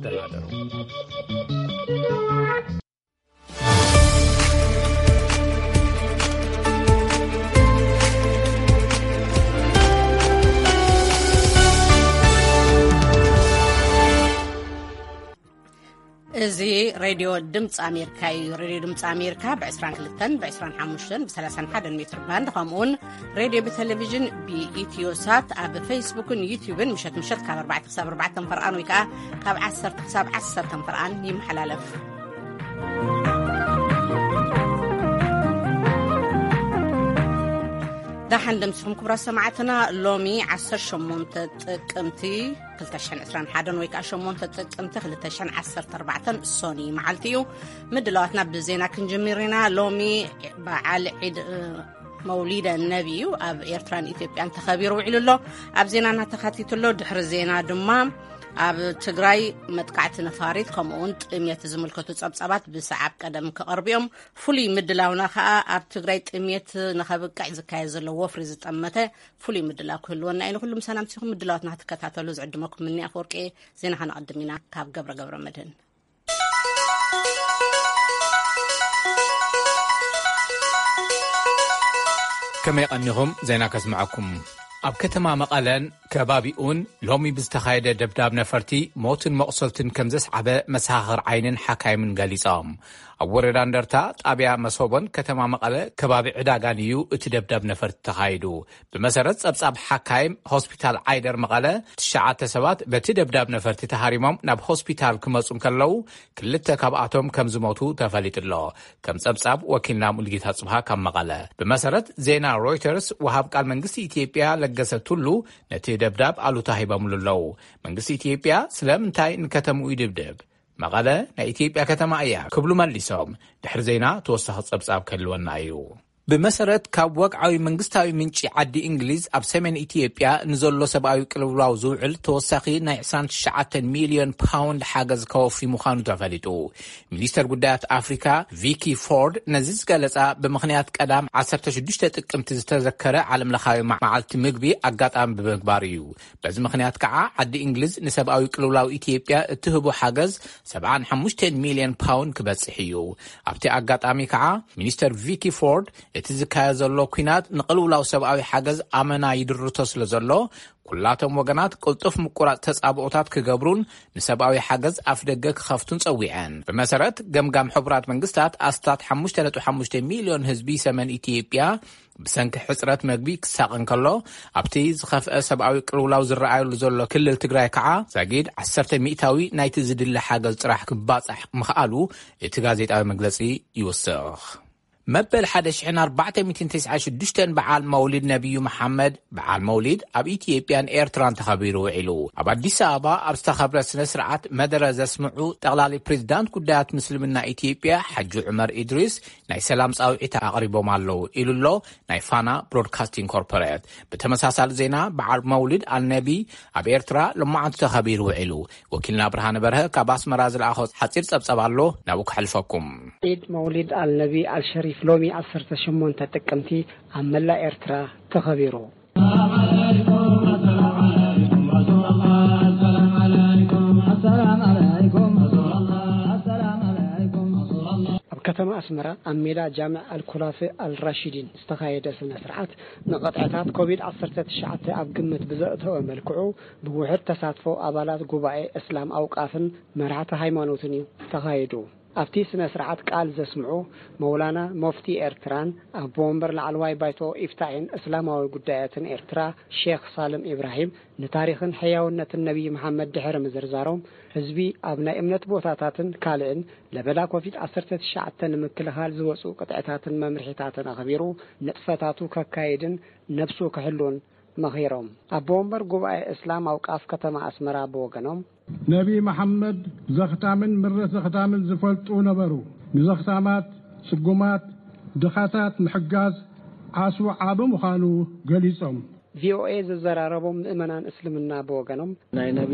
ተናደሩ። እዚ ሬድዮ ድምፂ ኣሜሪካ እዩ። ሬድዮ ድምፂ ኣሜሪካ ብ22፣ ብ25፣ ብ31 ሜትር ባንድ፣ ከምኡውን ሬድዮ ብቴሌቪዥን ብኢትዮ ሳት ኣብ ፌስቡክን ዩቲዩብን ምሸት ምሸት ካብ ኣርባዕተ ክሳብ ኣርባዕተ ፈርቓን ወይ ከዓ ካብ ዓሰርተ ክሳብ ዓሰርተ ፈርቓን ይመሓላለፍ። ደሓን ደምሲኹም ክቡራት ሰማዕትና። ሎሚ ዓሰርተ ሸሞንተ ጥቅምቲ ክልተ ሽሕን ዕስራን ሓደን ወይ ከዓ ሸሞንተ ጥቅምቲ ክልተ ሽሕን ዓሰርተ ኣርባዕተን ሶኒ መዓልቲ እዩ። ምድላዋትና ብዜና ክንጅምር ኢና። ሎሚ በዓል ዒድ፣ እ፣ መውሊደ ነቢ እዩ ኣብ ኤርትራን ኢትዮጵያን ተኸቢሩ ውዒሉ ኣሎ። ኣብ ዜናና ተኻቲቱ ኣሎ። ድሕሪ ዜና ድማ ኣብ ትግራይ መጥቃዕቲ ነፋሪት ከምኡውን ጥምየት ዝምልከቱ ጸብጻባት ብሰዓብ ቀደም ክቐርቡ እዮም። ፍሉይ ምድላውና ከኣ ኣብ ትግራይ ጥምየት ንኸብቅዕ ዝካየድ ዘሎ ወፍሪ ዝጠመተ ፍሉይ ምድላው ክህልወና እዩ። ንኹሉ ምሳና ምሲኹም ምድላዋትና ክትከታተሉ ዝዕድመኩም ምኒ ኣፈወርቂ። ዜና ከነቐድም ኢና ካብ ገብረ ገብረ መድህን። ከመይ ቀኒኹም? ዜና ከስምዐኩም። ኣብ ከተማ መቐለን ከባቢኡን ሎሚ ብዝተኻየደ ደብዳብ ነፈርቲ ሞትን መቑሰልትን ከም ዘስዓበ መሰኻኽር ዓይንን ሓካይምን ገሊጾም። ኣብ ወረዳ እንደርታ ጣብያ መሶቦን ከተማ መቐለ ከባቢ ዕዳጋን እዩ እቲ ደብዳብ ነፈርቲ ተኻይዱ። ብመሰረት ጸብጻብ ሓካይም ሆስፒታል ዓይደር መቐለ፣ ትሽዓተ ሰባት በቲ ደብዳብ ነፈርቲ ተሃሪሞም ናብ ሆስፒታል ክመጹ እንከለዉ፣ ክልተ ካብኣቶም ከም ዝሞቱ ተፈሊጡ ኣሎ። ከም ጸብጻብ ወኪልና ሙሉጌታ ጽብሃ ካብ መቐለ። ብመሰረት ዜና ሮይተርስ፣ ወሃብ ቃል መንግስቲ ኢትዮጵያ ለገሰ ቱሉ ነቲ ደብዳብ ኣሉታ ሂቦምሉ ኣለዉ። መንግስቲ ኢትዮጵያ ስለምንታይ ንከተምኡ ይድብድብ? መቐለ ናይ ኢትዮጵያ ከተማ እያ ክብሉ መሊሶም። ድሕሪ ዜና ተወሳኺ ጸብጻብ ክህልወና እዩ። ብመሰረት ካብ ወግዓዊ መንግስታዊ ምንጪ ዓዲ እንግሊዝ፣ ኣብ ሰሜን ኢትዮጵያ ንዘሎ ሰብኣዊ ቅልውላው ዝውዕል ተወሳኺ ናይ ዕስራን ትሽዓተን ሚልዮን ፓውንድ ሓገዝ ከወፊ ምዃኑ ተፈሊጡ። ሚኒስተር ጉዳያት ኣፍሪካ ቪኪ ፎርድ ነዚ ዝገለጻ ብምኽንያት ቀዳም ዓሰርተ ሽዱሽተ ጥቅምቲ ዝተዘከረ ዓለምለኻዊ መዓልቲ ምግቢ ኣጋጣሚ ብምግባር እዩ። በዚ ምኽንያት ከዓ ዓዲ እንግሊዝ ንሰብኣዊ ቅልውላው ኢትዮጵያ እትህቦ ሓገዝ ሰብዓን ሓሙሽተን ሚልዮን ፓውንድ ክበጽሕ እዩ። ኣብቲ ኣጋጣሚ ከዓ ሚኒስተር ቪኪ ፎርድ እቲ ዝካየድ ዘሎ ኲናት ንቅልውላው ሰብኣዊ ሓገዝ ኣመና ይድርቶ ስለ ዘሎ፣ ኩላቶም ወገናት ቅልጡፍ ምቁራጽ ተጻብኦታት ክገብሩን ንሰብኣዊ ሓገዝ ኣፍደገ ክኸፍቱን ጸዊዐን። ብመሰረት ገምጋም ሕቡራት መንግስታት፣ ኣስታት ሓሙሽተ ነጥቢ ሓሙሽተ ሚልዮን ህዝቢ ሰሜን ኢትዮጵያ ብሰንኪ ሕጽረት መግቢ ክሳቐ እንከሎ፣ ኣብቲ ዝኸፍአ ሰብኣዊ ቅልውላው ዝረኣየሉ ዘሎ ክልል ትግራይ ከዓ ዛጊድ ዓሰርተ ሚእታዊ ናይቲ ዝድለ ሓገዝ ጥራሕ ክባጻሕ ምኽኣሉ እቲ ጋዜጣዊ መግለጺ ይውስኽ። መበል ሓደ ሽሕን ኣርባዕተ ሚእትን ተስዓን ሽዱሽተን በዓል መውሊድ ነቢዩ መሓመድ፣ በዓል መውሊድ፣ ኣብ ኢትዮጵያን ኤርትራን ተኸቢሩ ውዒሉ። ኣብ ኣዲስ ኣበባ ኣብ ዝተኸብረ ስነ ስርዓት መደረ ዘስምዑ ጠቕላሊ ፕሬዚዳንት ጉዳያት ምስልምና ኢትዮጵያ ሓጂ ዑመር ኢድሪስ ናይ ሰላም ጻውዒት ኣቕሪቦም ኣለዉ ኢሉ ኣሎ ናይ ፋና ብሮድካስቲንግ ኮርፖሬት። ብተመሳሳሊ ዜና፣ በዓል መውሊድ ኣልነቢ ኣብ ኤርትራ ሎማዓንቲ ተኸቢሩ ውዒሉ። ወኪልና ብርሃነ በርሀ ካብ ኣስመራ ዝለኣኾ ሓጺር ጸብጸብ ኣሎ፣ ናብኡ ከሕልፈኩም። ዒድ መውሊድ ኣልነቢ ኣልሸሪፍ ሎሚ ዓሰርተ ሸሞንተ ጥቅምቲ ኣብ መላእ ኤርትራ ተኸቢሩ። ኣብ ከተማ ኣስመራ ኣብ ሜዳ ጃምዕ ኣልኩላፊ ኣልራሺዲን ዝተኻየደ ስነ ስርዓት፣ ንቕጥዕታት ኮቪድ ዓሰርተ ትሽዓተ ኣብ ግምት ብዘእተወ መልክዑ፣ ብውሑድ ተሳትፎ ኣባላት ጉባኤ እስላም ኣውቃፍን መራሕቲ ሃይማኖትን እዩ ተኻይዱ። ኣብቲ ስነ ስርዓት ቃል ዘስምዑ መውላና ሞፍቲ ኤርትራን ኣቦ ወንበር ላዕለዋይ ባይቶ ኢፍታሒን እስላማዊ ጉዳያትን ኤርትራ ሼኽ ሳልም ኢብራሂም፣ ንታሪኽን ሕያውነትን ነቢይ መሓመድ ድሕሪ ምዝርዛሮም፣ ህዝቢ ኣብ ናይ እምነት ቦታታትን ካልእን ለበዳ ኮቪድ ዓሰርተ ትሽዓተ ንምክልኻል ዝወፁ ቅጥዕታትን መምርሒታትን ኣኽቢሩ ንጥፈታቱ ከካይድን ነብሱ ክሕሉን መኺሮም። ኣቦ ወንበር ጉባኤ እስላም ኣውቃፍ ከተማ ኣስመራ ብወገኖም፣ ነቢ መሓመድ ዘኽታምን ምረት ዘኽታምን ዝፈልጡ ነበሩ። ንዘኽታማት፣ ጽጉማት፣ ድኻታት ምሕጋዝ ዓስቡ ዓቢ ምዃኑ ገሊጾም። ቪኦኤ ዘዘራረቦም ምእመናን እስልምና ብወገኖም፣ ናይ ነቢ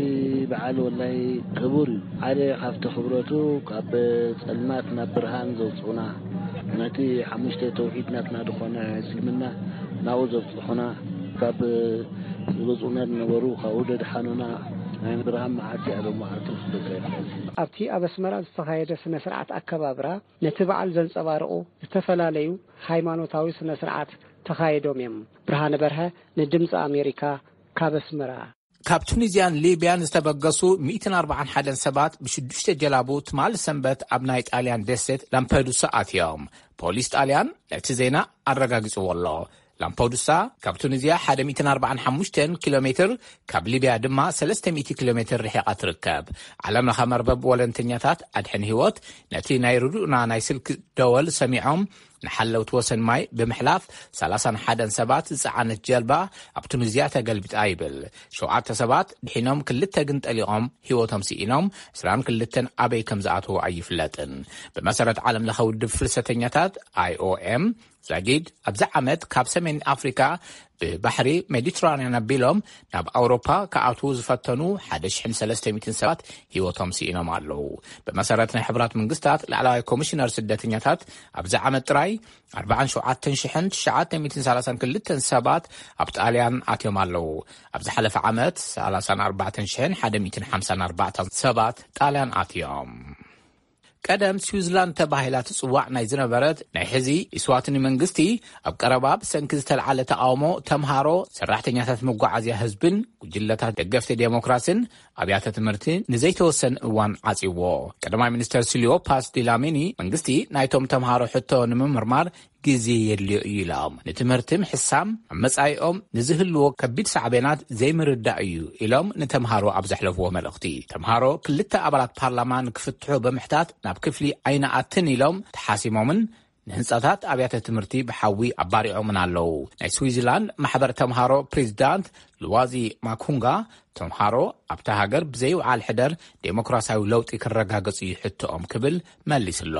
በዓል ወላይ ክቡር እዩ። ሓደ ካብቲ ክብረቱ ካብ ጸልማት ናብ ብርሃን ዘውጽኡና፣ ነቲ ሓሙሽተ ተውሒድ ናትና ዝኾነ እስልምና ናብኡ ዘብጽሑና፣ ካብ ዝወጽኡና ዝነበሩ ካብኡ ዘድሓኑና፣ ናይ ምድርሃም መዓልቲ እያ ሎም መዓልቲ ምስ ደቀ ይትሓዝ። ኣብቲ ኣብ ኣስመራ ዝተኻየደ ስነ ስርዓት ኣከባብራ፣ ነቲ በዓል ዘንጸባርቑ ዝተፈላለዩ ሃይማኖታዊ ስነ ስርዓት ተኻይዶም እዮም። ብርሃነ በርሀ፣ ንድምፂ ኣሜሪካ፣ ካብ ኣስመራ። ካብ ቱኒዝያን ሊብያን ዝተበገሱ ሚእትን ኣርባዓን ሓደን ሰባት ብሽዱሽተ ጀላቡ ትማል ሰንበት ኣብ ናይ ጣልያን ደሴት ላምፐዱሳ ኣትዮም። ፖሊስ ጣልያን ነቲ ዜና ኣረጋጊጽዎ ኣሎ። ላምፐዱሳ ካብ ቱኒዝያ ሓደ ሚእትን ኣርባዓን ሓሙሽተን ኪሎ ሜትር፣ ካብ ሊብያ ድማ ሰለስተ ሚእቲ ኪሎ ሜትር ርሒቓ ትርከብ። ዓለም ለኸ መርበብ ወለንተኛታት ኣድሕን ህይወት ነቲ ናይ ርዱእና ናይ ስልክ ደወል ሰሚዖም፣ ንሓለውቲ ወሰን ማይ ብምሕላፍ ሰላሳን ሓደን ሰባት ዝጸዓነት ጀልባ ኣብ ቱኒዝያ ተገልቢጣ ይብል። ሸውዓተ ሰባት ድሒኖም፣ ክልተ ግን ጠሊቖም ህይወቶም ስኢኖም፣ ዕስራን ክልተን ኣበይ ከም ዝኣተዉ ኣይፍለጥን። ብመሰረት ዓለም ለኸ ውድብ ፍልሰተኛታት፣ ኣይ ኦ ኤም፣ ዛጊድ ኣብዚ ዓመት ካብ ሰሜን ኣፍሪካ ብባሕሪ ሜዲትራንያን ኣቢሎም ናብ ኣውሮፓ ክኣትዉ ዝፈተኑ ሓደ ሽሕን ሰለስተ ሚእትን ሰባት ህይወቶም ስኢኖም ኣለዉ። ብመሰረት ናይ ሕቡራት መንግስታት ላዕለዋይ ኮሚሽነር ስደተኛታት፣ ኣብዚ ዓመት ጥራይ ኣርባዓን ሸውዓተን ሽሕን ትሽዓተ ሚእትን ሰላሳን ክልተን ሰባት ኣብ ጣልያን ኣትዮም ኣለዉ። ኣብ ዝሓለፈ ዓመት ሰላሳን ኣርባዕተን ሽሕን ሓደ ሚእትን ሓምሳን ኣርባዕተን ሰባት ጣልያን ኣትዮም። ቀደም ስዊዝላንድ ተባሂላ ትጽዋዕ ናይ ዝነበረት፣ ናይ ሕዚ ኢስዋትኒ መንግስቲ፣ ኣብ ቀረባ ብሰንኪ ዝተልዓለ ተቓውሞ ተምሃሮ፣ ሰራሕተኛታት መጓዓዝያ ህዝብን ጉጅለታት ደገፍቲ ዴሞክራስን ኣብያተ ትምህርቲ ንዘይተወሰነ እዋን ዓጽዎ። ቀዳማይ ሚኒስተር ሲልዮ ፓስ ዲላሚኒ፣ መንግስቲ ናይቶም ተምሃሮ ሕቶ ንምምርማር ግዜ የድልዮ እዩ ኢሎም። ንትምህርቲ ምሕሳም ኣብ መጻኢኦም ንዝህልዎ ከቢድ ሳዕቤናት ዘይምርዳእ እዩ ኢሎም ንተምሃሮ ኣብ ዘሕለፍዎ መልእኽቲ። ተምሃሮ ክልተ ኣባላት ፓርላማ ንክፍትሑ ብምሕታት ናብ ክፍሊ ኣይንኣትን ኢሎም ተሓሲሞምን ንህንጻታት ኣብያተ ትምህርቲ ብሓዊ ኣባሪዖምን ኣለዉ። ናይ ስዊዝላንድ ማሕበር ተምሃሮ ፕሬዚዳንት ሉዋዚ ማኩንጋ፣ ተምሃሮ ኣብታ ሃገር ብዘይውዓል ሕደር ዴሞክራሲያዊ ለውጢ ክረጋገጽ እዩ ሕቶኦም ክብል መሊስሎ።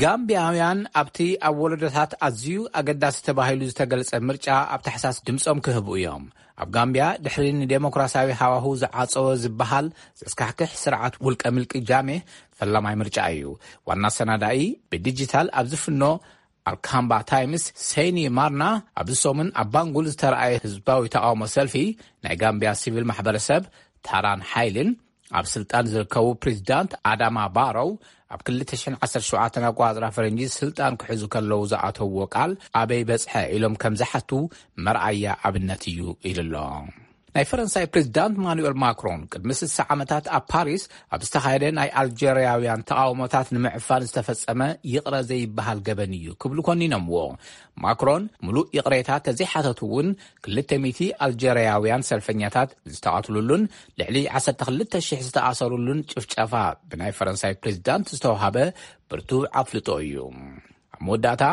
ጋምቢያውያን ኣብቲ ኣብ ወለዶታት ኣዝዩ ኣገዳሲ ተባሂሉ ዝተገልጸ ምርጫ ኣብ ታሕሳስ ድምጾም ክህቡ እዮም። ኣብ ጋምቢያ ድሕሪ ንዴሞክራሲያዊ ሃዋሁ ዝዓጸወ ዝበሃል ዘስካሕክሕ ስርዓት ውልቀ ምልቂ ጃሜ ፈላማይ ምርጫ እዩ። ዋና ኣሰናዳኢ ብዲጂታል ኣብ ዝፍኖ ኣልካምባ ታይምስ ሴኒ ማርና፣ ኣብዚ ሰሙን ኣብ ባንጉል ዝተረኣየ ህዝባዊ ተቃውሞ ሰልፊ ናይ ጋምቢያ ሲቪል ማሕበረሰብ ታራን ሓይልን ኣብ ስልጣን ዝርከቡ ፕሬዚዳንት ኣዳማ ባሮው ኣብ ክልተ ሽሕን ዓሰርተ ሸውዓተን ኣቆጻጽራ ፈረንጂ ስልጣን ክሕዙ ከለዉ ዝኣተውዎ ቃል ኣበይ በጽሐ ኢሎም ከም ዝሓቱ መርኣያ ኣብነት እዩ ኢሉ ኣሎ። ናይ ፈረንሳይ ፕሬዚዳንት ማኑኤል ማክሮን ቅድሚ ስሳ ዓመታት ኣብ ፓሪስ ኣብ ዝተኻየደ ናይ ኣልጀርያውያን ተቃውሞታት ንምዕፋን ዝተፈጸመ ይቕረ ዘይበሃል ገበን እዩ ክብሉ ኮኒኖምዎ። ማክሮን ምሉእ ይቕሬታ ተዘይሓተቱ እውን ክልተ ሚእቲ ኣልጀርያውያን ሰልፈኛታት ዝተቐትሉሉን ልዕሊ ዓሰርተ ክልተ ሽሕ ዝተኣሰሩሉን ጭፍጨፋ ብናይ ፈረንሳይ ፕሬዚዳንት ዝተዋሃበ ብርቱዕ ኣፍልጦ እዩ። ኣብ መወዳእታ፣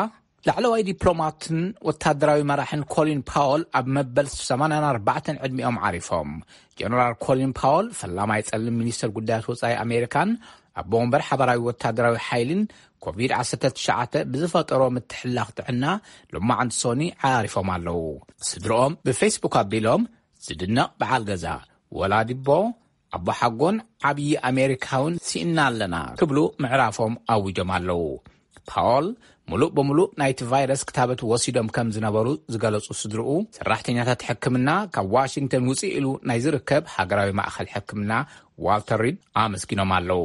ላዕለዋይ ዲፕሎማትን ወታደራዊ መራሕን ኮሊን ፓወል ኣብ መበል ሰማንያን ኣርባዕተን ዕድሚኦም ዓሪፎም። ጀነራል ኮሊን ፓወል፣ ፈላማይ ጸሊም ሚኒስተር ጉዳያት ወጻኢ ኣሜሪካን ኣቦ ወንበር ሓበራዊ ወታደራዊ ሓይልን፣ ኮቪድ ዓሰርተ ትሽዓተ ብዝፈጠሮ ምትሕልላኽ ጥዕና፣ ሎማዕንቲ ሶኒ ዓሪፎም ኣለዉ። ስድርኦም ብፌስቡክ ኣቢሎም፣ ዝድነቕ በዓል ገዛ፣ ወላዲቦ፣ ኣቦሓጎን ዓብዪ ኣሜሪካውን ስኢና ኣለና ክብሉ ምዕራፎም ኣዊጆም ኣለዉ። ፓወል፣ ምሉእ ብምሉእ ናይቲ ቫይረስ ክታበት ወሲዶም ከም ዝነበሩ ዝገለጹ ስድርኡ፣ ሰራሕተኛታት ሕክምና ካብ ዋሽንግተን ውፅእ ኢሉ ናይ ዝርከብ ሃገራዊ ማእኸል ሕክምና ዋልተር ሪድ ኣመስጊኖም ኣለዉ።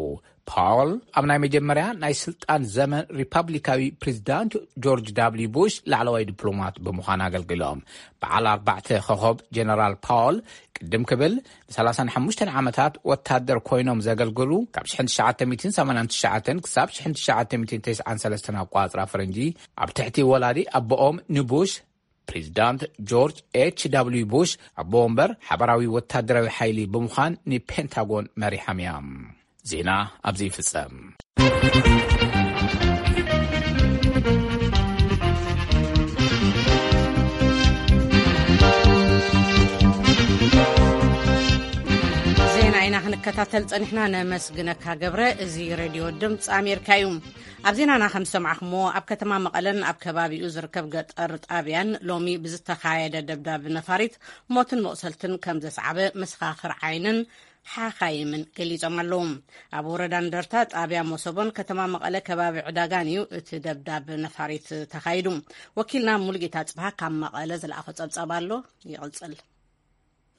ፓወል ኣብ ናይ መጀመርያ ናይ ስልጣን ዘመን ሪፓብሊካዊ ፕሬዚዳንት ጆርጅ ዳብልዩ ቡሽ ላዕለዋይ ዲፕሎማት ብምዃን ኣገልግሎም። በዓል ኣርባዕተ ኮኸብ ጀነራል ፓወል ቅድም ክብል ንሰላሳን ሓሙሽተን ዓመታት ወታደር ኮይኖም ዘገልግሉ፣ ካብ ሽሕን ትሽዓተ ሚእትን ሰማንያን ትሽዓተን ክሳብ ሽሕን ትሽዓተ ሚእትን ተስዓን ሰለስተን ኣቋጽራ ፈረንጂ፣ ኣብ ትሕቲ ወላዲ ኣቦኦም ንቡሽ፣ ፕሬዚዳንት ጆርጅ ኤች ዳብልዩ ቡሽ፣ ኣቦ ወንበር ሓበራዊ ወታደራዊ ሓይሊ ብምዃን ንፔንታጎን መሪሖም እዮም። ዜና ኣብዚ ይፍጸም። ዜና ኢና ክንከታተል ጸኒሕና። ነመስግነካ ገብረ። እዚ ሬድዮ ድምፂ ኣሜሪካ እዩ። ኣብ ዜናና ከም ዝሰማዕኹምዎ፣ ኣብ ከተማ መቐለን ኣብ ከባቢኡ ዝርከብ ገጠር ጣብያን ሎሚ ብዝተኻየደ ደብዳብ ነፋሪት ሞትን መቑሰልትን ከም ዘስዓበ መሰኻኽር ዓይንን ሓኻይምን ገሊጾም ኣለዉ። ኣብ ወረዳ እንደርታ ጣብያ መሶቦን ከተማ መቐለ ከባቢ ዕዳጋን እዩ እቲ ደብዳብ ነፋሪት ተኻይዱ። ወኪልና ሙሉጌታ ጽብሃ ካብ መቐለ ዝለኣኾ ጸብጻብ ኣሎ፣ ይቕጽል።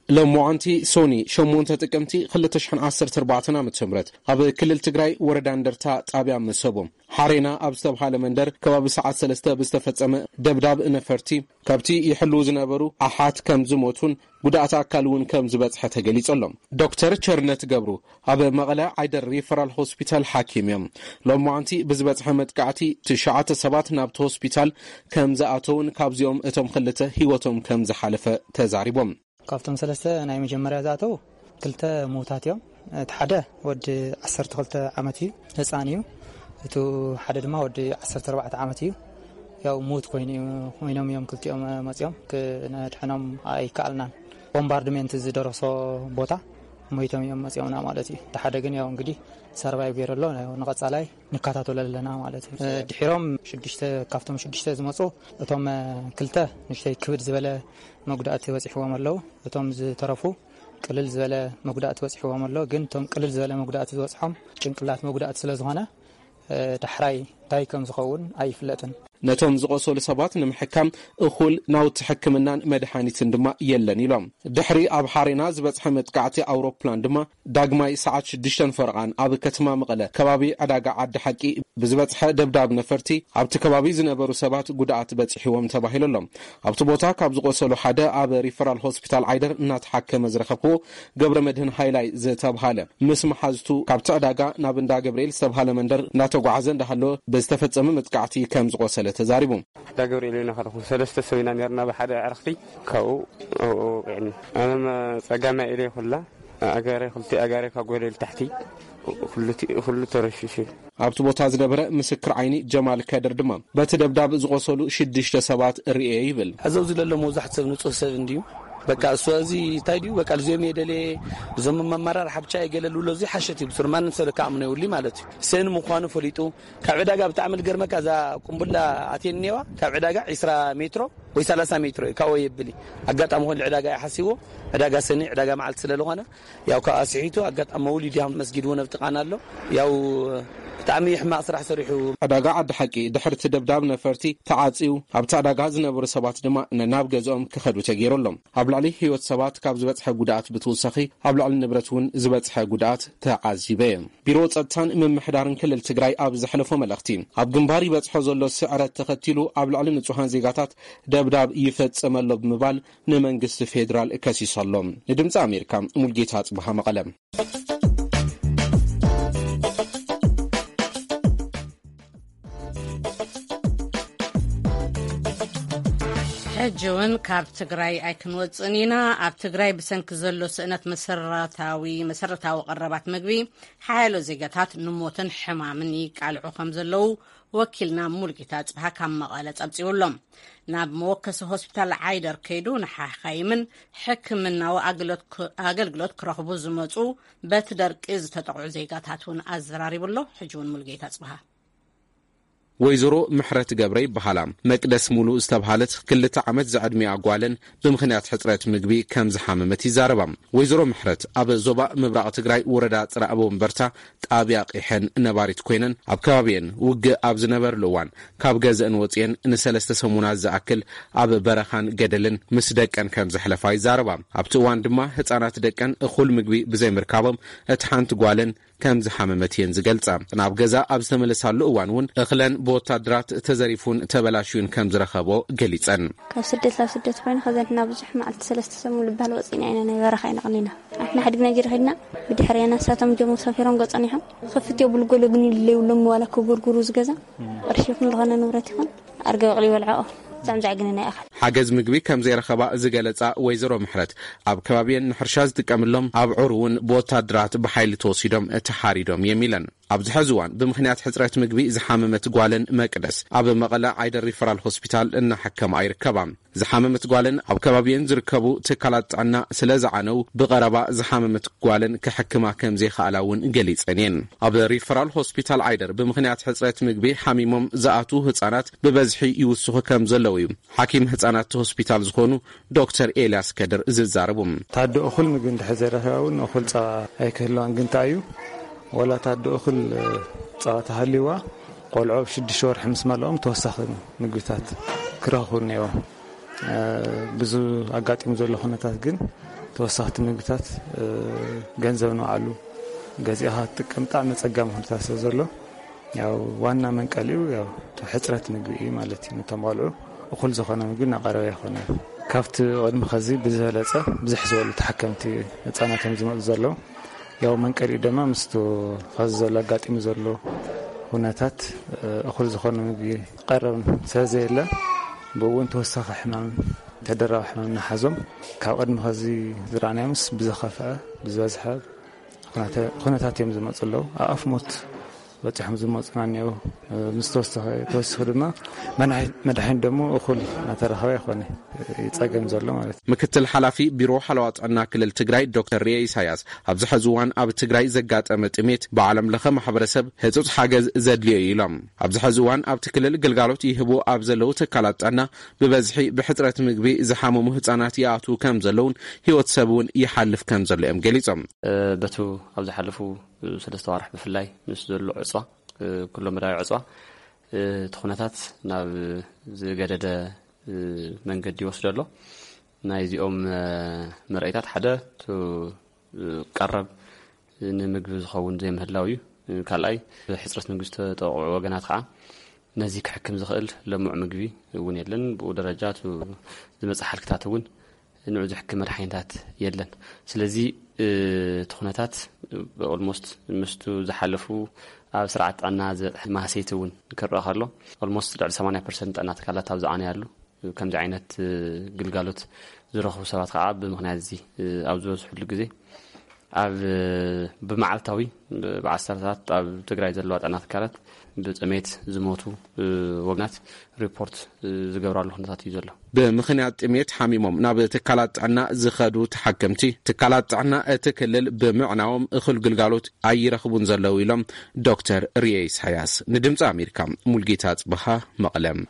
ሎማዓንቲ ሶኒ ሸሞንተ ጥቅምቲ ክልተ ሽሕን ዓሰርተ ኣርባዕተን ዓመተ ምህረት ኣብ ክልል ትግራይ ወረዳ እንደርታ ጣብያ መሰቦ ሓሬና ኣብ ዝተብሃለ መንደር ከባቢ ሰዓት ሰለስተ ብዝተፈጸመ ደብዳብ ነፈርቲ ካብቲ ይሕልዉ ዝነበሩ ኣሓት ከም ዝሞቱን ጉድኣት ኣካል እውን ከም ዝበጽሐ ተገሊጹ ኣሎ። ዶክተር ቸርነት ገብሩ ኣብ መቐለ ዓይደር ሪፈራል ሆስፒታል ሓኪም እዮም። ሎማዓንቲ ብዝበጽሐ መጥቃዕቲ ትሽዓተ ሰባት ናብቲ ሆስፒታል ከም ዝኣተውን ካብዚኦም እቶም ክልተ ህይወቶም ከም ዝሓለፈ ተዛሪቦም። ካብቶም ሰለስተ ናይ መጀመርያ ዝኣተው ክልተ ምዉታት እዮም። እቲ ሓደ ወዲ ዓሰርተ ክልተ ዓመት እዩ፣ ህፃን እዩ። እቲ ሓደ ድማ ወዲ ዓሰርተ ኣርባዕተ ዓመት እዩ። ያው ምዉት ኮይኑ እዩ፣ ኮይኖም እዮም ክልቲኦም መፂኦም፣ ክነድሕኖም ኣይከኣልናን። ቦምባርድሜንት ዝደረሶ ቦታ ሞይቶም እዮም መፂኦምና ማለት እዩ። እቲ ሓደ ግን ያው እንግዲህ ሰርቫይቭ ገይሩ ኣሎ። ያው ንቐፃላይ ንከታተሎ ኣለና ማለት እዩ። ድሒሮም ሽዱሽተ፣ ካብቶም ሽዱሽተ ዝመፁ እቶም ክልተ ንእሽተይ ክብድ ዝበለ መጉዳእቲ በፂሕዎም ኣለዉ። እቶም ዝተረፉ ቅልል ዝበለ መጉዳእቲ በፂሕዎም ኣሎ። ግን እቶም ቅልል ዝበለ መጉዳእቲ ዝበፅሖም ጭንቅላት መጉዳእቲ ስለ ዝኾነ፣ እ፣ ዳሕራይ እንታይ ከም ዝኸውን ኣይፍለጥን። ነቶም ዝቆሰሉ ሰባት ንምሕካም እኹል ናውቲ ሕክምናን መድሃኒትን ድማ የለን ኢሎም። ድሕሪ ኣብ ሓሬና ዝበፅሐ መጥቃዕቲ ኣውሮፕላን ድማ ዳግማይ ሰዓት ሽዱሽተ ፈረቓን ኣብ ከተማ መቐለ ከባቢ ዕዳጋ ዓዲ ሓቂ ብዝበፅሐ ደብዳብ ነፈርቲ ኣብቲ ከባቢ ዝነበሩ ሰባት ጉድኣት በፂሕዎም ተባሂሉ ኣሎ። ኣብቲ ቦታ ካብ ዝቆሰሉ ሓደ ኣብ ሪፈራል ሆስፒታል ዓይደር እናተሓከመ ዝረኸብክዎ ገብረ መድህን ሃይላይ ዝተብሃለ ምስ መሓዝቱ ካብቲ ዕዳጋ ናብ እንዳ ገብርኤል ዝተብሃለ መንደር እናተጓዓዘ እንዳሃለወ ብዝተፈጸመ መጥቃዕቲ ከም ዝቆሰለ ተዛሪቡ። ዕዳ ገብርኤል ኢና ከለኹ ሰለስተ ሰብ ኢና ነርና ብሓደ ዕረኽቲ ካብኡ ኣብኡ ወቂዕኒ። ኣነ ጸጋማይ ኢለ ኩላ ኣጋረ ክልቲ ኣጋረ ካብ ጎደል ታሕቲ ኩሉ ተረሽሹ። ኣብቲ ቦታ ዝነበረ ምስክር ዓይኒ ጀማል ከድር ድማ በቲ ደብዳብ ዝቆሰሉ ሽዱሽተ ሰባት ርእየ ይብል። ሕዚ ኣብዚ ዘሎ መብዛሕትኡ ሰብ ንጹህ ሰብ እንድዩ። በቃ እሱ እዚ እንታይ ድዩ በቃ ልዚኦም እየ ደልየ እዞም መመራር ሓብቻ እየ ገለ ልብሎ እዚ ሓሸት እዩ ብሱር ማንም ሰብ ለካ ኣምኖ የብሉይ ማለት እዩ። ሰን ምዃኑ ፈሊጡ ካብ ዕዳጋ ብጣዕሚ ልገርመካ እዛ ቁምቡላ ኣትየኒ ነዋ ካብ ዕዳጋ ዒስራ ሜትሮ ወይ ሰላሳ ሜትሮ እዩ ካብኡ የብሊ ኣጋጣሚ ኾን ዕዳጋ እየ ሓሲዎ ዕዳጋ ሰኒ ዕዳጋ መዓልቲ ስለ ዝኾነ ያው ካብ ኣስሒቱ ኣጋጣሚ መውሊድ ያው መስጊድ እውን ኣብቲ ቃና ኣሎ። ያው ብጣዕሚ ሕማቕ ስራሕ ሰሪሑ። ዕዳጋ ዓዲ ሓቂ ድሕርቲ ደብዳብ ነፈርቲ ተዓጽዩ ኣብቲ ዕዳጋ ዝነበሩ ሰባት ድማ ነናብ ገዝኦም ክኸዱ ተገይሩ ኣሎ። ኣብ ልዕሊ ህይወት ሰባት ካብ ዝበጽሐ ጉድኣት ብትውሳኺ ኣብ ልዕሊ ንብረት እውን ዝበጽሐ ጉድኣት ተዓዚበ እየ። ቢሮ ጸጥታን ምምሕዳርን ክልል ትግራይ ኣብ ዘሕለፎ መልእኽቲ ኣብ ግንባር ይበጽሖ ዘሎ ስዕረት ተኸቲሉ ኣብ ልዕሊ ንጹሃን ዜጋታት ደብዳብ ይፈጸም ኣሎ ብምባል ንመንግስቲ ፌዴራል ከሲሱ ኣሎ። ንድምፂ ኣሜሪካ ሙልጌታ ጽብሃ መቐለ። ሕጂ እውን ካብ ትግራይ ኣይክንወፅእን ኢና። ኣብ ትግራይ ብሰንኪ ዘሎ ስእነት መሰረታዊ መሰረታዊ ቀረባት ምግቢ ሓያሎ ዜጋታት ንሞትን ሕማምን ይቃልዑ ከም ዘለዉ ወኪልና ሙልጌታ ጽብሃ ካብ መቐለ ጸብጺቡ ኣሎ። ናብ መወከሲ ሆስፒታል ዓይደር ከይዱ ንሓኻይምን ሕክምናዊ ኣገልግሎት ክ-፣ ኣገልግሎት ክረኽቡ ዝመጹ በቲ ደርቂ ዝተጠቕዑ ዜጋታት እውን ኣዘራሪቡ ኣሎ። ሕጂ እውን ሙልጌታ ጽብሃ። ወይዘሮ ምሕረት ገብረ ይበሃላ። መቅደስ ሙሉ ዝተብሃለት ክልተ ዓመት ዝዕድሚኣ ጓለን ብምኽንያት ሕጽረት ምግቢ ከም ዝሓመመት ይዛረባ። ወይዘሮ ምሕረት ኣብ ዞባ ምብራቕ ትግራይ ወረዳ ጽረ ኣበው እምበርታ ጣብያ ቂሐን ነባሪት ኮይነን ኣብ ከባቢየን ውግእ ኣብ ዝነበርሉ እዋን ካብ ገዘእን ወፅየን ንሰለስተ ሰሙናት ዝኣክል ኣብ በረኻን ገደልን ምስ ደቀን ከም ዘሕለፋ ይዛረባ። ኣብቲ እዋን ድማ ህፃናት ደቀን እኹል ምግቢ ብዘይምርካቦም እቲ ሓንቲ ጓለን ከም ዝሓመመት እየን ዝገልጻ። ናብ ገዛ ኣብ ዝተመለሳሉ እዋን እውን እኽለን ብወታደራት ተዘሪፉን ተበላሽዩን ከም ዝረኸቦ ገሊጸን። ካብ ስደት ናብ ስደት ኮይና ከዘንትና ብዙሕ መዓልቲ ሰለስተ ሰሙን ልባል ወፂና ኢና ናይ በረኻ ኢና ቐኒና። ኣሕና ሓዲግና ጅር ኸድና ብድሕርያ ናሳቶም ጀሞ ሰፊሮም ገጸን ኢሖም ክፍት የብሉ ገሎ ግን ይለዩሎም ዋላ ክጉርጉሩ ዝገዛ ቅርሺ ይኹን ዝኾነ ንብረት ይኹን ኣርገ በቕሊ ይበልዐኦ። ብጣዕሚ ዘዕግነና ይኣኸል። ሓገዝ ምግቢ ከም ዘይረኸባ ዝገለጻ ወይዘሮ ምሕረት ኣብ ከባቢየን ንሕርሻ ዝጥቀምሎም ኣብዑር እውን ብወታደራት ብሓይሊ ተወሲዶም ተሓሪዶም እዮም ኢለን። ኣብዚ ሕዚ እዋን ብምኽንያት ሕፅረት ምግቢ ዝሓመመት ጓለን መቅደስ ኣብ መቐለ ዓይደር ሪፈራል ሆስፒታል እናሓከማ ይርከባ። ዝሓመመት ጓለን ኣብ ከባቢየን ዝርከቡ ትካላት ጥዕና ስለ ዝዓነው ብቐረባ ዝሓመመት ጓለን ክሕክማ ከም ዘይኸኣላ እውን ገሊጸን እየን። ኣብ ሪፈራል ሆስፒታል ዓይደር ብምኽንያት ሕፅረት ምግቢ ሓሚሞም ዝኣትዉ ህፃናት ብበዝሒ ይውስኹ ከም ዘለዉ እዩ ሓኪም ህፃናት ሆስፒታል ዝኾኑ ዶክተር ኤልያስ ከድር ዝዛረቡ። ታዶ እኹል ምግቢ እንድሕር ዘይረኺባ እውን እኹል ጸባ ኣይክህልዋን። ግን እንታይ እዩ ወላ ታዶ እኹል ጸባ ተሃልይዋ ቆልዑ ኣብ ሽዱሽተ ወርሒ ምስ መለኦም ተወሳኺ ምግብታት ክረኽቡ እኒአዎም። ብዙ ኣጋጢሙ ዘሎ ኩነታት ግን ተወሰኽቲ ምግብታት ገንዘብ ንባዕሉ ገዚእኻ ክትጥቀም ብጣዕሚ ኣጸጋሚ ኩነታት ስለ ዘሎ፣ ያው ዋና መንቀሊኡ ያው እቲ ሕጽረት ምግቢ እዩ ማለት እዩ። ነቶም ቆልዑ እኹል ዝኾነ ምግቢ እናቐረበ ኣይኮነን። ካብቲ ቅድሚ ኸዚ ብዝበለጸ ብዝሕ ዝበሉ ተሓከምቲ ህጻናት እዮም ዝመጹ ዘለዉ። ያው መንቀሊኡ ድማ ምስቲ ኸዚ ዘሎ ኣጋጢሙ ዘሎ ኩነታት እኹል ዝኾነ ምግቢ ቀረብ ስለ ዘየለ፣ ብኡ እውን ተወሳኺ ሕማም ተደራቢ ሕማም እናሓዞም ካብ ቅድሚ ኸዚ ዝረኣናዮምስ ብዝኸፍዐ ብዝበዝሐ ኩነተ- ኩነታት እዮም ዝመፁ ኣለዉ። ኣኣፍ ሞት በፂሖም ዝመፁና እኒአው። ምስ ተወሰኸ ተወሲኹ ድማ መድሓኒት መድሓኒት ደሞ እኹል እናተረኸበ ይኾነ ይፀገም ዘሎ ማለት እዩ። ምክትል ሓላፊ ቢሮ ሓለዋ ጥዕና ክልል ትግራይ ዶክተር ሪኤ ኢሳያስ ኣብዚ ሐዚ እዋን ኣብ ትግራይ ዘጋጠመ ጥሜት ብዓለም ለኸ ማሕበረሰብ ህፁፅ ሓገዝ ዘድልዮ እዩ ኢሎም። ኣብዚ ሐዚ እዋን ኣብቲ ክልል ግልጋሎት ይህቡ ኣብ ዘለዉ ትካላት ጥዕና ብበዝሒ ብሕፅረት ምግቢ ዝሓመሙ ህፃናት ይኣትዉ ከም ዘለውን ህይወት ሰብ እውን ይሓልፍ ከም ዘሎ እዮም ገሊፆም። በቱ ኣብ ዝሓለፉ ሰለስተ ዋርሕ ብፍላይ ምስ ዘሎ ዕፅዋ ኩሎም መዳዊ ዕፅዋ እቲ ኩነታት ናብ ዝገደደ መንገዲ ይወስዶ ኣሎ። ናይዚኦም መርኣይታት ሓደ እቲ ቀረብ ንምግቢ ዝኸውን ዘይምህላው እዩ። ካልኣይ ብሕፅረት ምግቢ ዝተጠቕዑ ወገናት ከዓ ነዚ ክሕክም ዝኽእል ለሙዕ ምግቢ እውን የለን። ብኡ ደረጃ እቲ ዝመፅእ ሓልክታት እውን ንዑ ዝሕክም መድሓኒታት የለን። ስለዚ እቲ ኩነታት ኦልሞስት ምስቱ ዝሓለፉ ኣብ ስርዓት ጥዕና ዝበፅሐ ማህሰይቲ እውን ክረአ ከሎ ኦልሞስት ልዕሊ ሰማንያ ፐርሰንት ጥዕና ትካላት ኣብ ዝዓነያሉ ከምዚ ዓይነት ግልጋሎት ዝረኽቡ ሰባት ከዓ ብምኽንያት እዚ ኣብ ዝበዝሕሉ ግዜ ኣብ ብመዓልታዊ ብዓሰርታት ኣብ ትግራይ ዘለዋ ጥዕና ትካላት ብጥሜት ዝሞቱ ወገናት ሪፖርት ዝገብራሉ ኩነታት እዩ ዘሎ። ብምኽንያት ጥሜት ሓሚሞም ናብ ትካላት ጥዕና ዝኸዱ ተሓከምቲ ትካላት ጥዕና እቲ ክልል ብምዕናዎም እኹል ግልጋሎት ኣይረኽቡን ዘለዉ ኢሎም ዶክተር ሪኤ ኢሳያስ ንድምፂ ኣሜሪካ። ሙልጌታ ጽበሃ መቐለም።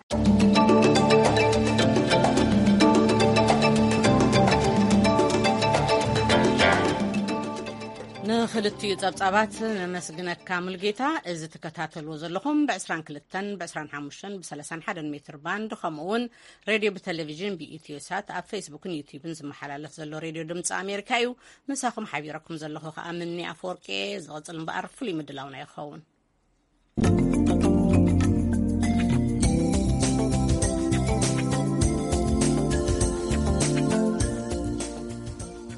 ንኽልቲኡ ጸብጻባት ነመስግነካ ሙልጌታ። እዚ ትከታተልዎ ዘለኹም ብ22 ብ25 ብ31 ሜትር ባንድ ከምኡ እውን ሬድዮ ብቴሌቪዥን ብኢትዮ ሳት ኣብ ፌስቡክን ዩቲዩብን ዝመሓላለፍ ዘሎ ሬድዮ ድምፂ ኣሜሪካ እዩ። ምሳኹም ሓቢረኩም ዘለኹ ከዓ ምኒ ኣፈወርቂ። ዝቕፅል እምበኣር ፍሉይ ምድላውና ይኸውን።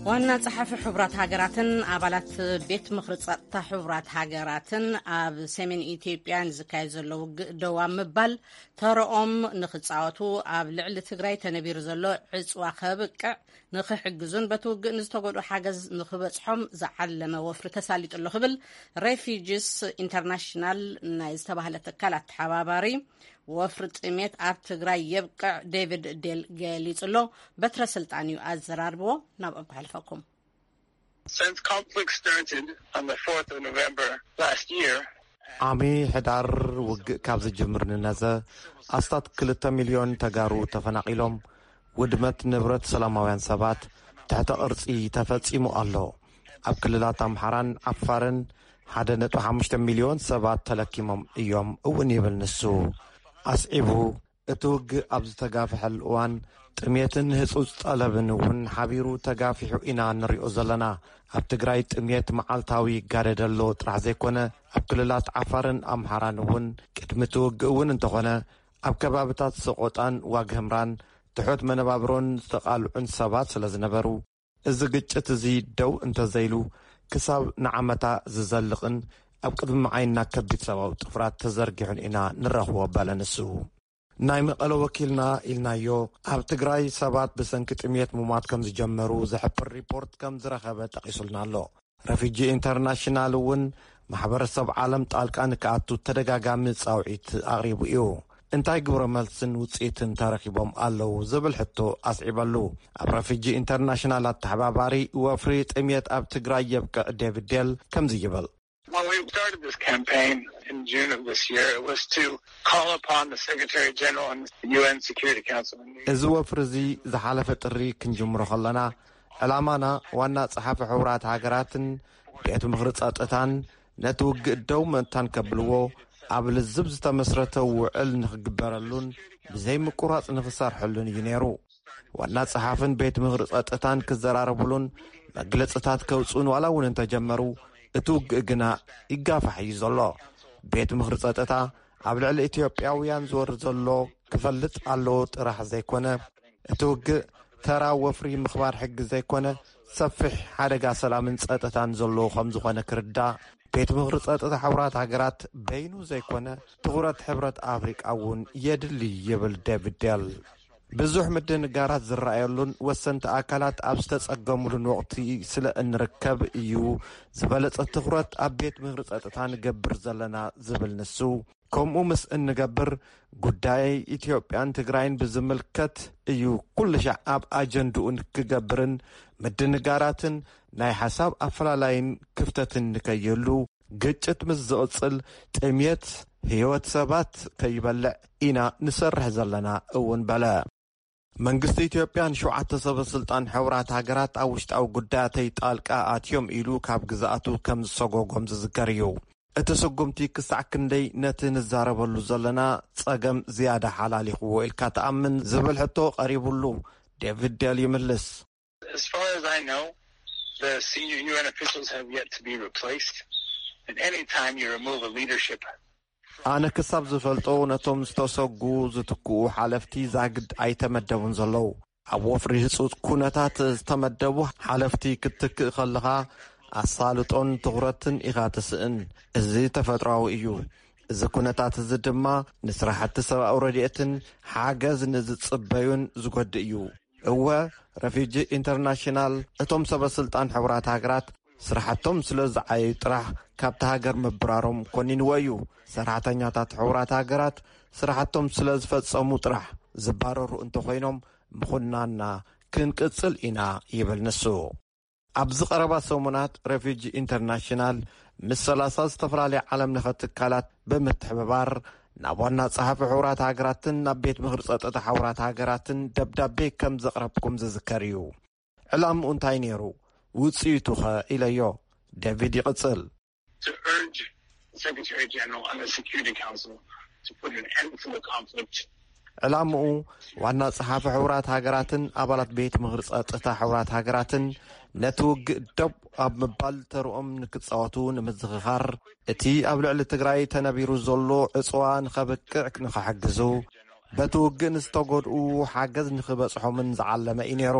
ዋና ጸሓፊ ሕቡራት ሃገራትን ኣባላት ቤት ምኽሪ ጸጥታ ሕቡራት ሃገራትን ኣብ ሰሜን ኢትዮጵያ ንዝካየድ ዘሎ ውግእ ደው ኣብ ምባል ተረኦም ንኽጻወቱ ኣብ ልዕሊ ትግራይ ተነቢሩ ዘሎ ዕጽዋ ከብቅዕ ንኽሕግዙን በቲ ውግእ ንዝተጎድኡ ሓገዝ ንኽበጽሖም ዝዓለመ ወፍሪ ተሳሊጡ ኣሎ ክብል ሬፊጅስ ኢንተርናሽናል ናይ ዝተባህለ ትካል ኣተሓባባሪ ወፍሪ ጥሜት ኣብ ትግራይ የብቅዕ ዴቪድ ዴል ገሊጹ ኣሎ። በትረ ስልጣን እዩ ኣዘራርብዎ። ናብኦም ከሕልፈኩም። Since conflict started on the fourth of November last year, ዓሚ ሕዳር ውግእ ካብ ዝጅምር ንነዘ ኣስታት ክልተ ሚልዮን ተጋሩ ተፈናቒሎም፣ ውድመት ንብረት ሰላማውያን ሰባት ትሕተ ቅርጺ ተፈጺሙ ኣሎ። ኣብ ክልላት ኣምሓራን ዓፋርን ሓደ ነጥቢ ሓሙሽተ ሚልዮን ሰባት ተለኪሞም እዮም እውን ይብል ንሱ። ኣስዒቡ፣ እቲ ውግእ ኣብ ዝተጋፍሐሉ እዋን ጥሜትን ህጹጽ ጠለብን እውን ሓቢሩ ተጋፊሑ ኢና ንሪኦ ዘለና። ኣብ ትግራይ ጥሜት መዓልታዊ ይጋደድ ኣሎ ጥራሕ ዘይኮነ፣ ኣብ ክልላት ዓፋርን ኣምሓራን እውን ቅድሚ እቲ ውግእ እውን እንተኾነ ኣብ ከባብታት ሰቆጣን ዋግህምራን ትሑት መነባብሮን ዝተቓልዑን ሰባት ስለ ዝነበሩ፣ እዚ ግጭት እዚ ደው እንተዘይሉ ክሳብ ንዓመታ ዝዘልቕን ኣብ ቅድሚ ዓይንና ከቢድ ሰብኣዊ ጥፍራት ተዘርጊሑን ኢና ንረኽቦ በለ ንሱ። ናይ መቐለ ወኪልና ኢልናዮ ኣብ ትግራይ ሰባት ብሰንኪ ጥሜት ምሟት ከም ዝጀመሩ ዝሕብር ሪፖርት ከም ዝረኸበ ጠቒሱልና ኣሎ። ረፊጂ ኢንተርናሽናል እውን ማሕበረሰብ ዓለም ጣልቃ ንክኣቱ ተደጋጋሚ ጻውዒት ኣቕሪቡ እዩ። እንታይ ግብረ መልስን ውጽኢትን ተረኺቦም ኣለዉ ዝብል ሕቶ ኣስዒበሉ። ኣብ ረፊጂ ኢንተርናሽናል ኣተሓባባሪ ወፍሪ ጥሜት ኣብ ትግራይ የብቅዕ ዴቪድ ዴል ከምዚ ይብል። When we started this campaign in June of this year, it was to call upon the Secretary General and the U N Security Council. እዚ ወፍሪ እዚ ዝሓለፈ ጥሪ ክንጅምሮ ከለና ዕላማና ዋና ጸሓፊ ሕቡራት ሃገራትን ቤት ምኽሪ ጸጥታን ነቲ ውግእ ደው ምእንታን ከብልዎ ኣብ ልዝብ ዝተመስረተ ውዕል ንኽግበረሉን ብዘይ ምቁራጽ ንኽሰርሐሉን እዩ ነይሩ። ዋና ጸሓፍን ቤት ምኽሪ ጸጥታን ክዘራረቡሉን መግለጽታት ከውጽኡን ዋላ እውን እንተጀመሩ፣ እቲ ውግእ ግና ይጋፋሕ እዩ ዘሎ። ቤት ምኽሪ ጸጥታ ኣብ ልዕሊ ኢትዮጵያውያን ዝወርድ ዘሎ ክፈልጥ ኣለዎ ጥራሕ ዘይኮነ፣ እቲ ውግእ ተራ ወፍሪ ምኽባር ሕጊ ዘይኮነ፣ ሰፊሕ ሓደጋ ሰላምን ጸጥታን ዘለዎ ከም ዝኾነ ክርዳእ፣ ቤት ምኽሪ ጸጥታ ሕቡራት ሃገራት በይኑ ዘይኮነ፣ ትኹረት ሕብረት ኣፍሪቃ እውን የድሊ ይብል ዴቪድ ዴል። ብዙሕ ምድንጋራት ዝረኣየሉን ወሰንቲ ኣካላት ኣብ ዝተጸገሙሉን ወቕቲ ስለ እንርከብ እዩ ዝበለጸ ትኹረት ኣብ ቤት ምኽሪ ጸጥታ ንገብር ዘለና ዝብል ንሱ፣ ከምኡ ምስ እንገብር ጉዳይ ኢትዮጵያን ትግራይን ብዝምልከት እዩ ኩሉ ሻዕ ኣብ ኣጀንድኡን ክገብርን ምድንጋራትን ናይ ሓሳብ ኣፈላላይን ክፍተትን ንከይህሉ፣ ግጭት ምስ ዝቕጽል ጥምየት ህይወት ሰባት ከይበልዕ ኢና ንሰርሕ ዘለና እውን በለ። መንግስቲ ኢትዮጵያን ሸውዓተ ሰበ ስልጣን ሕቡራት ሃገራት ኣብ ውሽጣዊ ጉዳያተይ ጣልቃ ኣትዮም ኢሉ ካብ ግዝኣቱ ከም ዝሰጎጎም ዝዝከር እዩ። እቲ ስጉምቲ ክሳዕ ክንደይ ነቲ ንዛረበሉ ዘለና ጸገም ዝያዳ ሓላሊኽዎ ኢልካ ትኣምን ዝብል ሕቶ ቀሪቡሉ፣ ዴቪድ ዴል ይምልስ። As far as I know, the senior U N officials have yet to be replaced. And anytime you remove a leadership ኣነ ክሳብ ዝፈልጦ ነቶም ዝተሰጉ ዝትክኡ ሓለፍቲ ዛግድ ኣይተመደቡን ዘለዉ። ኣብ ወፍሪ ህጹጽ ኩነታት ዝተመደቡ ሓለፍቲ ክትትክእ ከለኻ ኣሳልጦን ትኹረትን ኢኻ ትስእን። እዚ ተፈጥሮኣዊ እዩ። እዚ ኩነታት እዚ ድማ ንስራሕቲ ሰብኣዊ ረድኤትን ሓገዝ ንዝጽበዩን ዝጎድእ እዩ። እወ፣ ረፊጂ ኢንተርናሽናል እቶም ሰበ ስልጣን ሕቡራት ሃገራት ስራሕቶም ስለ ዝዓየዩ ጥራሕ ካብቲ ሃገር ምብራሮም ኮኒንዎ እዩ። ሰራሕተኛታት ሕቡራት ሃገራት ስራሕቶም ስለ ዝፈጸሙ ጥራሕ ዝባረሩ እንተኾይኖም ምኹናና ክንቅጽል ኢና ይብል ንሱ። ኣብዚ ቀረባ ሰሙናት ረፊጂ ኢንተርናሽናል ምስ ሰላሳ ዝተፈላለያ ዓለም ለኸ ትካላት ብምትሕብባር ናብ ዋና ጸሓፊ ሕቡራት ሃገራትን ናብ ቤት ምኽሪ ጸጥታ ሕቡራት ሃገራትን ደብዳቤ ከም ዘቕረብኩም ዝዝከር እዩ። ዕላምኡ እንታይ ነይሩ? ውጽኢቱ ኸ ኢለዮ። ዴቪድ ይቕጽል። To urge the Secretary General and the Security Council to put an end to the conflict. ዕላምኡ ዋና ጸሓፊ ሕቡራት ሃገራትን ኣባላት ቤት ምኽሪ ጸጥታ ሕቡራት ሃገራትን ነቲ ውግእ ደው ኣብ ምባል ተርኦም ንክጻወቱ ንምዝኽኻር፣ እቲ ኣብ ልዕሊ ትግራይ ተነቢሩ ዘሎ ዕጽዋ ንኸብቅዕ ንኽሕግዙ፣ በቲ ውግእ ንዝተጎድኡ ሓገዝ ንኽበጽሖምን ዝዓለመ እዩ ነይሩ።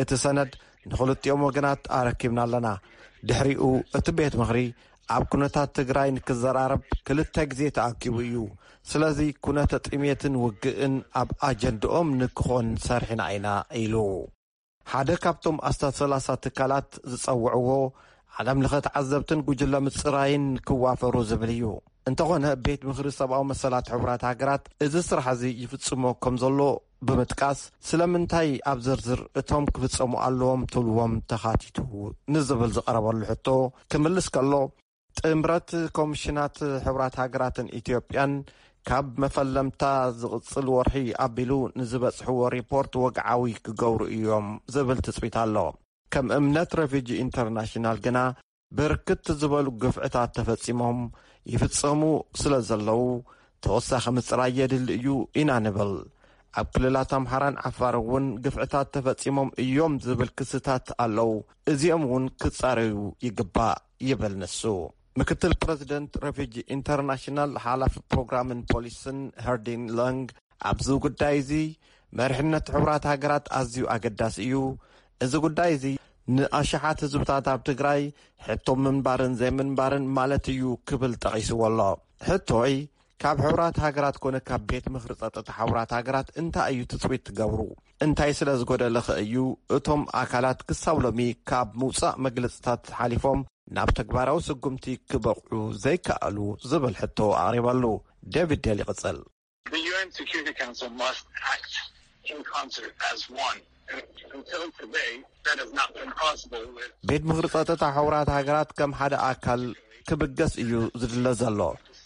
እቲ ሰነድ ንኽልቲኦም ወገናት ኣረኪብና ኣለና። ድሕሪኡ እቲ ቤት ምኽሪ ኣብ ኩነታት ትግራይ ንክዘራረብ ክልተ ግዜ ተኣኪቡ እዩ። ስለዚ ኩነተ ጥሜትን ውግእን ኣብ ኣጀንድኦም ንክኾን ሰርሒና ኢና ኢሉ። ሓደ ካብቶም ኣስታት ሰላሳ ትካላት ዝጸውዕዎ ዓለም ለኸ ተዓዘብትን ጉጅለ ምጽራይን ክዋፈሩ ዝብል እዩ። እንተኾነ ቤት ምኽሪ ሰብኣዊ መሰላት ሕቡራት ሃገራት እዚ ስራሕ እዚ ይፍጽሞ ከም ዘሎ ብምጥቃስ፣ ስለምንታይ ኣብ ዝርዝር እቶም ክፍጸሙ ኣለዎም ትብልዎም ተኻቲቱ ንዝብል ዝቐረበሉ ሕቶ ክምልስ ከሎ፣ ጥምረት ኮሚሽናት ሕቡራት ሃገራትን ኢትዮጵያን ካብ መፈለምታ ዝቕጽል ወርሒ ኣቢሉ ንዝበጽሕዎ ሪፖርት ወግዓዊ ክገብሩ እዮም ዝብል ትጽቢት ኣሎ። ከም እምነት ረፊጂ ኢንተርናሽናል ግና ብርክት ዝበሉ ግፍዕታት ተፈጺሞም ይፍጸሙ ስለ ዘለዉ፣ ተወሳኺ ምጽራይ የድሊ እዩ ኢና ንብል። ኣብ ክልላት ኣምሓራን ዓፋር እውን ግፍዕታት ተፈጺሞም እዮም ዝብል ክስታት ኣለዉ። እዚኦም እውን ክጻረዩ ይግባእ ይብል ንሱ። ምክትል ፕረዚደንት ረፊጂ ኢንተርናሽናል ሓላፊ ፕሮግራምን ፖሊስን ሄርዲን ለንግ ኣብዚ ጉዳይ እዚ መሪሕነት ሕቡራት ሃገራት ኣዝዩ ኣገዳሲ እዩ። እዚ ጉዳይ እዚ ንኣሽሓት ህዝብታት ኣብ ትግራይ ሕቶ ምንባርን ዘይምንባርን ማለት እዩ ክብል ጠቒስዎ ኣሎ። ሕቶይ ካብ ሕቡራት ሃገራት ኮነ ካብ ቤት ምኽሪ ጸጥታ ሕቡራት ሃገራት እንታይ እዩ ትጽቢት ትገብሩ? እንታይ ስለ ዝጎደለኸ እዩ እቶም ኣካላት ክሳብ ሎሚ ካብ ምውጻእ መግለጽታት ሓሊፎም ናብ ተግባራዊ ስጉምቲ ክበቕዑ ዘይከኣሉ ዝብል ሕቶ ኣቕሪበሉ። ዴቪድ ዴል ይቕጽል። The U N Security Council must act in concert as one. Until today, that has not been possible with ቤት ምኽሪ ጸጥታ ሕቡራት ሃገራት ከም ሓደ ኣካል ክብገስ እዩ ዝድለ ዘሎ።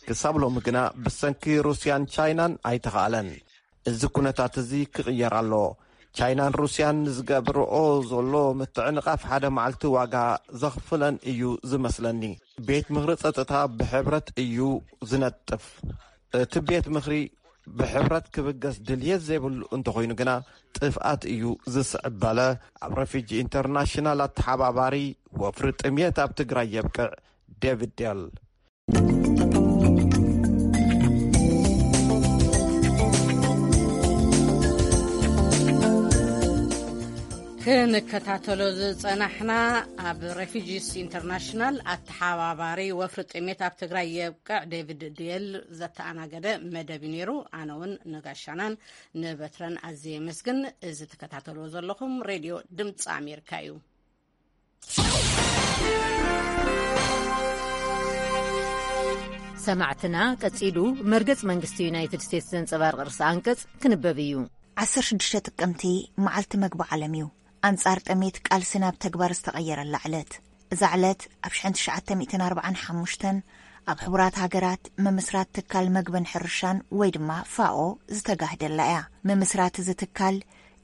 ክሳብ ሎሚ ግና ብሰንኪ ሩስያን ቻይናን ኣይተኻእለን። እዚ ኩነታት እዚ ክቕየር ኣለዎ። ቻይናን ሩስያን ንዝገብርኦ ዘሎ ምትዕንቓፍ ሓደ መዓልቲ ዋጋ ዘኽፍለን እዩ ዝመስለኒ። ቤት ምኽሪ ጸጥታ ብሕብረት እዩ ዝነጥፍ። እቲ ቤት ምኽሪ ብሕብረት ክብገስ ድልየት ዘይብሉ እንተኾይኑ ግና ጥፍኣት እዩ ዝስዕብ፣ በለ ኣብ ረፊጂ ኢንተርናሽናል ኣተሓባባሪ ወፍሪ ጥምየት ኣብ ትግራይ የብቅዕ ዴቪድ ዴል። ክንከታተሎ ዝጸናሕና፣ ኣብ ሬፊጂስ ኢንተርናሽናል ኣተሓባባሪ ወፍሪ ጥሜት ኣብ ትግራይ የብቅዕ ዴቪድ ድየል ዘተኣናገደ መደብ እዩ ነይሩ። ኣነ እውን ንጋሻናን ንበትረን ኣዝየ የመስግን። እዚ ትከታተልዎ ዘለኹም ሬድዮ ድምፂ ኣሜሪካ እዩ። ሰማዕትና፣ ቀጺሉ መርገጽ መንግስቲ ዩናይትድ ስቴትስ ዘንጸባርቕ ርእሰ ኣንቀጽ ክንበብ እዩ። ዓሰርተ ሽዱሽተ ጥቅምቲ መዓልቲ መግቢ ዓለም እዩ። ኣንጻር ጥሜት ቃልሲ ናብ ተግባር ዝተቐየረላ ዕለት። እዛ ዕለት ኣብ ሽሕን ትሽዓተ ሚእትን ኣርባዓን ሓሙሽተን ኣብ ሕቡራት ሃገራት ምምስራት ትካል መግብን ሕርሻን ወይ ድማ ፋኦ ዝተጋህደላ እያ። ምምስራት እዚ ትካል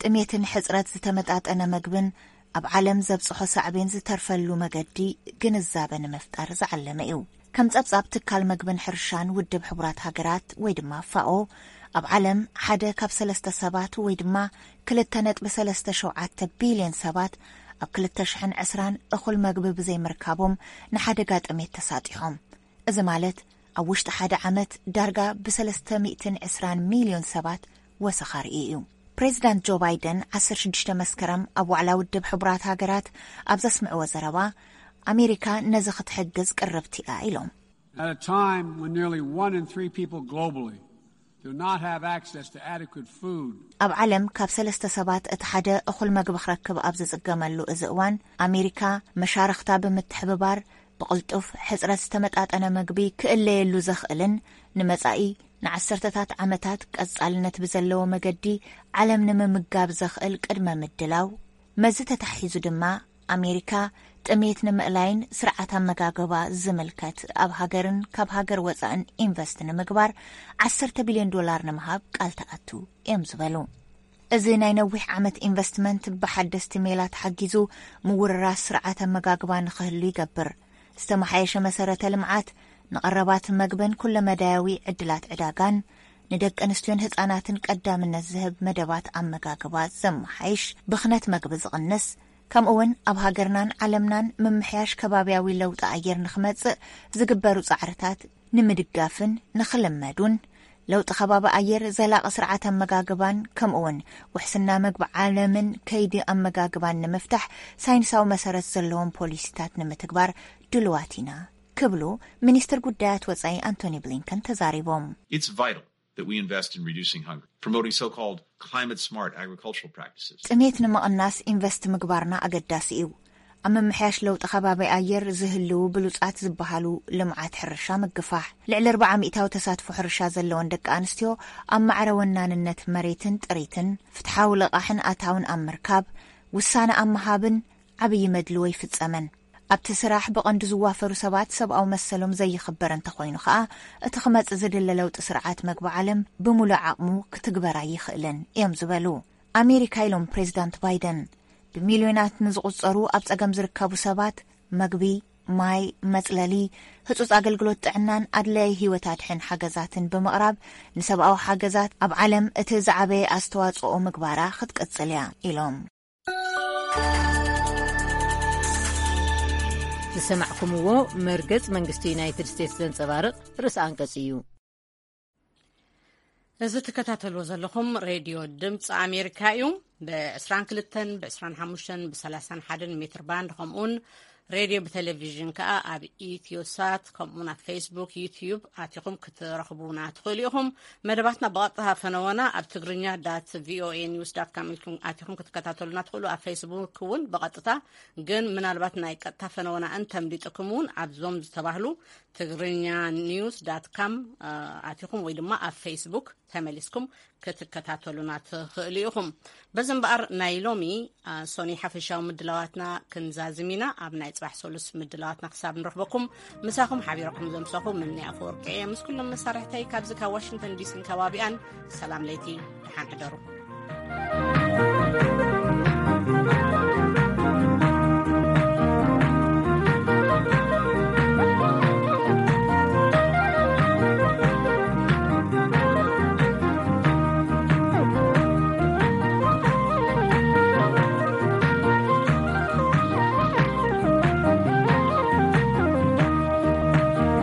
ጥሜትን ሕጽረት ዝተመጣጠነ መግብን ኣብ ዓለም ዘብጽሖ ሳዕቤን ዝተርፈሉ መገዲ ግንዛበ ንምፍጣር ዝዓለመ እዩ። ከም ጸብጻብ ትካል መግብን ሕርሻን ውድብ ሕቡራት ሃገራት ወይ ድማ ፋኦ፣ ኣብ ዓለም ሓደ ካብ ሰለስተ ሰባት ወይ ድማ ክልተ ነጥቢ ሰለስተ ሸውዓተ ቢልዮን ሰባት ኣብ ክልተ ሽሕን ዕስራን እኹል መግቢ ብዘይምርካቦም ንሓደጋ ጥሜት ተሳጢሖም። እዚ ማለት ኣብ ውሽጢ ሓደ ዓመት ዳርጋ ብሰለስተ ሚእትን ዕስራን ሚልዮን ሰባት ወሰኻ ርእዩ እዩ። ፕሬዚዳንት ጆ ባይደን ዓሰርተ ሽዱሽተ መስከረም ኣብ ዋዕላ ውድብ ሕቡራት ሃገራት ኣብ ዘስምዕዎ ዘረባ፣ ኣሜሪካ ነዚ ክትሕግዝ ቅርብቲ እያ ኢሎም። At a time when nearly one in three people globally do not have access to adequate food. ኣብ ዓለም ካብ ሰለስተ ሰባት እቲ ሓደ እኹል መግቢ ክረክብ ኣብ ዝጽገመሉ እዚ እዋን፣ ኣሜሪካ መሻርኽታ ብምትሕብባር ብቕልጡፍ ሕጽረት ዝተመጣጠነ መግቢ ክእለየሉ ዘኽእልን ንመጻኢ ንዓሰርተታት ዓመታት ቀጻልነት ብዘለዎ መገዲ ዓለም ንምምጋብ ዘኽእል ቅድመ ምድላው፣ መዚ ተታሒዙ ድማ ኣሜሪካ ጥሜት ንምእላይን ስርዓት ኣመጋግባ ዝምልከት ኣብ ሃገርን ካብ ሃገር ወጻእን ኢንቨስት ንምግባር ዓሰርተ ቢልዮን ዶላር ንምሃብ ቃል ተኣቱ እዮም ዝበሉ። እዚ ናይ ነዊሕ ዓመት ኢንቨስትመንት ብሓደስቲ ሜላ ተሓጊዙ ምውርራስ ስርዓት ኣመጋግባ ንኽህሉ ይገብር። ዝተመሓየሸ መሰረተ ልምዓት፣ ንቐረባት መግብን ኩለመዳያዊ ዕድላት ዕዳጋን፣ ንደቂ ኣንስትዮን ህጻናትን ቀዳምነት ዝህብ መደባት ኣመጋግባ ዘመሓይሽ፣ ብኽነት መግቢ ዝቕንስ፣ ከምኡ እውን ኣብ ሃገርናን ዓለምናን ምምሕያሽ ከባብያዊ ለውጢ ኣየር ንኽመጽእ ዝግበሩ ጻዕርታት ንምድጋፍን ንኽልመዱን፣ ለውጢ ከባቢ ኣየር፣ ዘላቒ ስርዓት ኣመጋግባን ከምኡ እውን ውሕስና መግቢ ዓለምን ከይዲ ኣመጋግባን ንምፍታሕ ሳይንሳዊ መሰረት ዘለዎም ፖሊሲታት ንምትግባር ድልዋት ኢና ክብሉ ሚኒስትር ጉዳያት ወጻኢ ኣንቶኒ ብሊንከን ተዛሪቦም። It's vital that we invest in reducing hunger, promoting so-called climate-smart agricultural practices. ጥሜት ንምቕናስ ኢንቨስት ምግባርና ኣገዳሲ እዩ። ኣብ ምምሕያሽ ለውጢ ከባቢ ኣየር ዝህልዉ ብሉጻት ዝበሃሉ ልምዓት ሕርሻ ምግፋሕ፣ ልዕሊ ኣርብዓ ሚእታዊ ተሳትፎ ሕርሻ ዘለወን ደቂ ኣንስትዮ ኣብ ማዕረ ወናንነት መሬትን ጥሪትን፣ ፍትሓዊ ልቓሕን ኣታውን ኣብ ምርካብ፣ ውሳነ ኣብ ምሃብን ዓብዪ መድልዎ ይፍጸመን። ኣብቲ ስራሕ ብቐንዱ ዝዋፈሩ ሰባት ሰብኣዊ መሰሎም ዘይኽበር እንተኾይኑ ኸኣ፣ እቲ ክመጽእ ዝድለ ለውጢ ስርዓት መግቢ ዓለም ብምሉእ ዓቕሙ ክትግበር ኣይኽእልን እዮም ዝበሉ ኣሜሪካ ኢሎም ፕሬዚዳንት ባይደን። ብሚልዮናት ንዝቑጸሩ ኣብ ጸገም ዝርከቡ ሰባት መግቢ፣ ማይ፣ መጽለሊ፣ ህጹጽ ኣገልግሎት ጥዕናን ኣድላዪ ህይወት ኣድሕን ሓገዛትን ብምቕራብ ንሰብኣዊ ሓገዛት ኣብ ዓለም እቲ ዝዓበየ ኣስተዋጽኦ ምግባራ ክትቅጽል እያ ኢሎም። ዝሰማዕኩምዎ መርገጽ መንግስቲ ዩናይትድ ስቴትስ ዘንጸባርቕ ርእሲ ኣንቀጽ እዩ። እዚ ትከታተልዎ ዘለኹም ሬድዮ ድምፂ ኣሜሪካ እዩ። ብ22፣ ብ25፣ ብ31 ሜትር ባንድ፣ ከምኡውን ሬድዮ ብቴሌቪዥን ከኣ ኣብ ኢትዮሳት፣ ከምኡውን ኣብ ፌስቡክ፣ ዩትዩብ ኣቲኹም ክትረኽቡና ትኽእሉ ኢኹም። መደባትና ብቐጥታ ፈነወና ኣብ ትግርኛ ዳት ቪኦኤ ኒውስ ዳት ካም ኢልኩም ኣቲኹም ክትከታተሉና ትኽእሉ። ኣብ ፌስቡክ እውን ብቐጥታ፣ ግን ምናልባት ናይ ቀጥታ ፈነወና እንተምሊጥኩም እውን ኣብዞም ዝተባህሉ ትግርኛ ኒውስ ዳት ካም፣ እ፣ ኣቲኹም ወይ ድማ ኣብ ፌስቡክ ተመሊስኩም ክትከታተሉና ትኽእሉ ኢኹም። በዚ እምበኣር ናይ ሎሚ፣ እ፣ ሶኒ ሓፈሻዊ ምድላዋትና ክንዛዝም ኢና። ኣብ ናይ ጽባሕ ሰሉስ ምድላዋትና ክሳብ ንረኽበኩም ምሳኹም ሓቢረኩም ዘምሰኹ ምንያ ኣፈወርቂ እየ። ምስ ኩሎም መሳርሕተይ ካብዚ ካብ ዋሽንግተን ዲሲን ከባቢኣን ሰላም ለይቲ፣ ደሓን ሕደሩ።